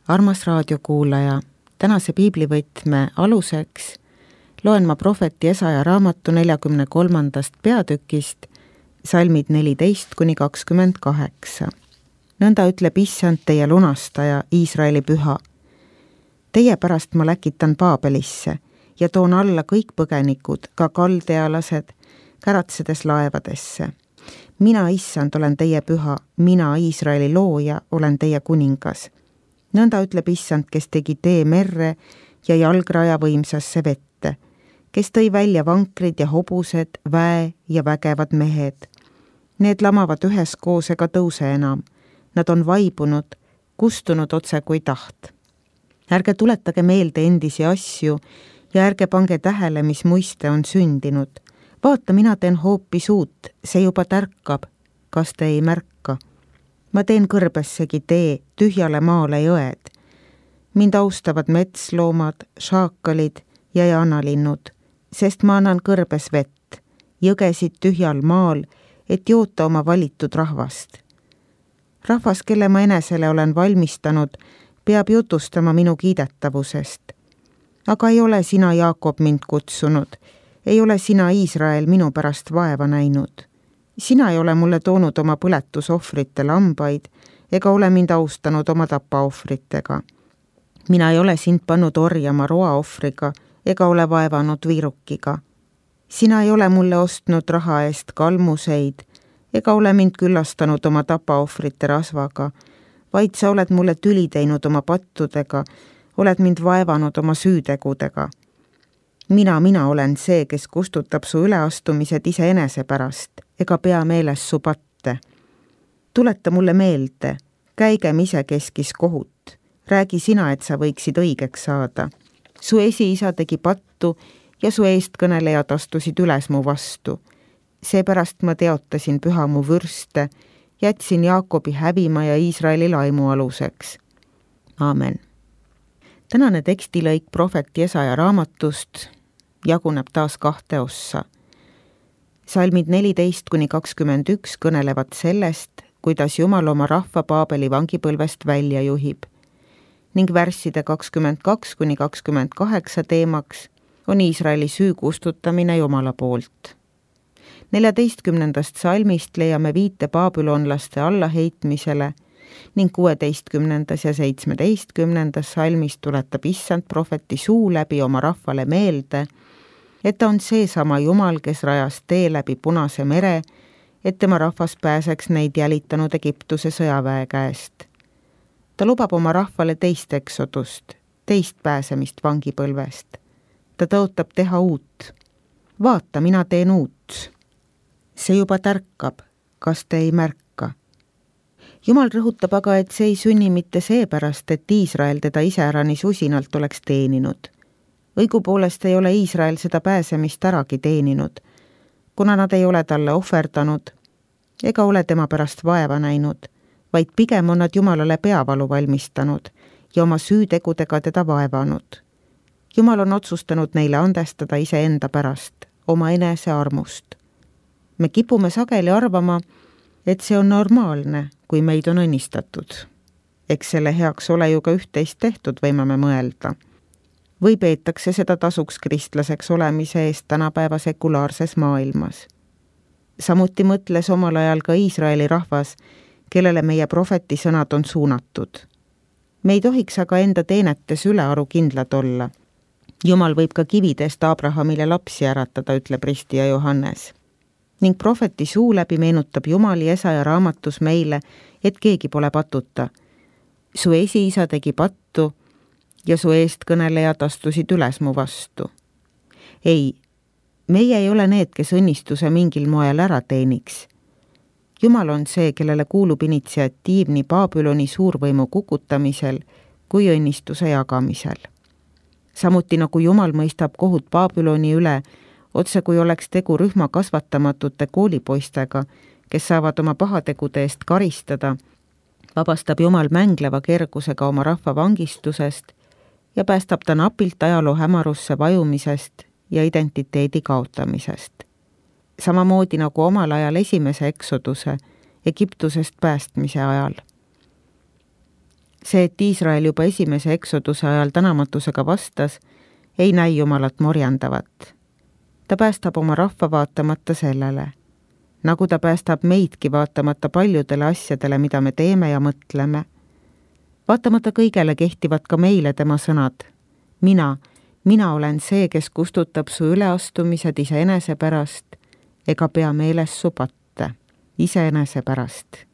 Armas raadiokuulaja, tänase piiblivõtme aluseks loen ma prohveti Jesaja raamatu 43. peatükist salmid 14-28. Nõnda ütleb Issand, teie lunastaja, Iisraeli püha. Teie pärast ma läkitan Paabelisse ja toon alla kõik põgenikud, ka kaldealased, käratsedes laevadesse. Mina, Issand, olen teie püha, mina, Iisraeli looja, olen teie kuningas. Nõnda ütleb Issand, kes tegi tee merre ja jalgraja võimsasse vette, kes tõi välja vankrid ja hobused, väe ja vägevad mehed. Need lamavad üheskoos ega tõuse enam. Nad on vaibunud, kustunud otse kui taht. Ärge tuletage meelde endisi asju ja ärge pange tähele, mis muiste on sündinud. Vaata, mina teen hoopis uut, see juba tärkab. Kas te ei märka? Ma teen kõrbessegi tee, tühjale maale jõed. Mind austavad metsloomad, šaakalid ja jaanalinnud, sest ma annan kõrbes vett, jõgesid tühjal maal, et joota oma valitud rahvast. Rahvas, kelle ma enesele olen valmistanud, peab jutustama minu kiidetavusest. Aga ei ole sina, Jaakob, mind kutsunud, ei ole sina, Iisrael, minu pärast vaeva näinud. Sina ei ole mulle toonud oma põletusohvrite lambaid ega ole mind austanud oma tapaohvritega. Mina ei ole sind pannud orjama roaohvriga ega ole vaevanud viirukiga. Sina ei ole mulle ostnud raha eest kalmuseid ega ole mind külastanud oma tapaohvrite rasvaga, vaid sa oled mulle tüli teinud oma pattudega, oled mind vaevanud oma süütegudega. Mina olen see, kes kustutab su üleastumised iseenese pärast ega pea meeles su patte. Tuleta mulle meelde, käigem isekeskis kohut. Räägi sina, et sa võiksid õigeks saada. Su esiisa tegi pattu ja su eestkõnelejad astusid üles mu vastu. Seepärast ma teotasin püha mu vürste, jätsin Jaakobi hävima ja Iisraeli laimu aluseks. Aamen. Tänane tekstilõik prohveti Jesaja raamatust jaguneb taas 2 ossa. Salmid 14-21 kõnelevad sellest, kuidas Jumal oma rahva Paabeli vangipõlvest välja juhib, ning värsside 22-28 teemaks on Iisraeli süü kustutamine Jumala poolt. 14. salmist leiame viite baabilonlaste allaheitmisele ning 16. ja 17. salmist tuletab Issand prohveti suu läbi oma rahvale meelde, et ta on seesama Jumal, kes rajas tee läbi Punase mere, et tema rahvas pääseks neid jälitanud Egiptuse sõjaväe käest. Ta lubab oma rahvale teist eksodust, teist pääsemist vangipõlvest. Ta tõotab teha uut. Vaata, mina teen uut. See juba tärkab, kas te ei märka? Jumal rõhutab aga, et see ei sünni mitte seepärast, et Iisrael teda iseäranis usinalt oleks teeninud. Õigupoolest ei ole Iisrael seda pääsemist äragi teeninud, kuna nad ei ole talle ohverdanud ega ole tema pärast vaeva näinud, vaid pigem on nad Jumalale peavalu valmistanud ja oma süütegudega teda vaevanud. Jumal on otsustanud neile andestada iseenda pärast, oma enese armust. Me kipume sageli arvama, et see on normaalne, kui meid on õnnistatud. Eks selle heaks ole ju ka üht-teist tehtud, võime me mõelda. Või peetakse seda tasuks kristlaseks olemise eest tänapäeva sekulaarses maailmas. Samuti mõtles omal ajal ka Iisraeli rahvas, kellele meie prohveti sõnad on suunatud. Me ei tohiks aga enda teenetes ülearu kindlad olla. Jumal võib ka kividest Abrahamile lapsi äratada, ütleb ristija Johannes. Ning prohveti suu läbi meenutab Jumal Jesaja raamatus meile, et keegi pole patuta. Su esiisa tegi pattu ja su eestkõnelejad astusid üles mu vastu. Ei, meie ei ole need, kes õnnistuse mingil moel ära teeniks. Jumal on see, kellele kuulub initsiatiiv nii Baabiloni suurvõimu kukutamisel kui õnnistuse jagamisel. Samuti nagu Jumal mõistab kohut Baabiloni üle, otse kui oleks tegu rühma kasvatamatute koolipoistega, kes saavad oma pahategude eest karistada, vabastab Jumal mängleva kergusega oma rahva vangistusest ja päästab ta napilt ajaloo hämarusse vajumisest ja identiteedi kaotamisest. Samamoodi nagu omal ajal esimese eksoduse Egiptusest päästmise ajal. See, et Iisrael juba esimese eksoduse ajal tänamatusega vastas, ei näi Jumalat morjandavat. Ta päästab oma rahva vaatamata sellele, nagu ta päästab meidki vaatamata paljudele asjadele, mida me teeme ja mõtleme. Vaatamata kõigele kehtivad ka meile tema sõnad. Mina olen see, kes kustutab su üleastumised iseenese pärast ega pea meeles su patte, iseenese pärast.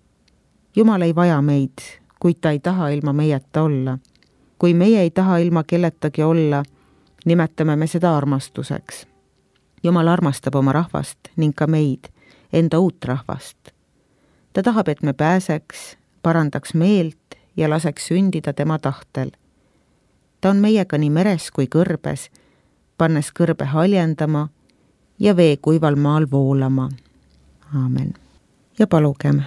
Jumal ei vaja meid, kuid ta ei taha ilma meieta olla. Kui meie ei taha ilma kelletagi olla, nimetame me seda armastuseks. Jumal armastab oma rahvast ning ka meid, enda uut rahvast. Ta tahab, et me pääseks, parandaks meelt ja laseks sündida tema tahtel. Ta on meiega nii meres kui kõrbes, pannes kõrbe haljendama ja vee kuival maal voolama. Aamen. Ja palugem.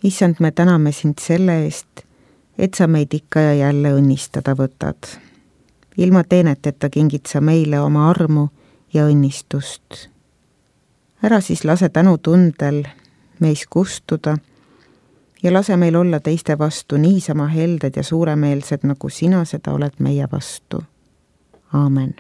Issand, me täname sind selle eest, et sa meid ikka ja jälle õnnistada võtad. Ilma teeneteta kingid sa meile oma armu ja õnnistust. Ära siis lase tänutundel meis kustuda ja lase meil olla teiste vastu niisama helded ja suuremeelsed, nagu sina seda oled meie vastu. Aamen.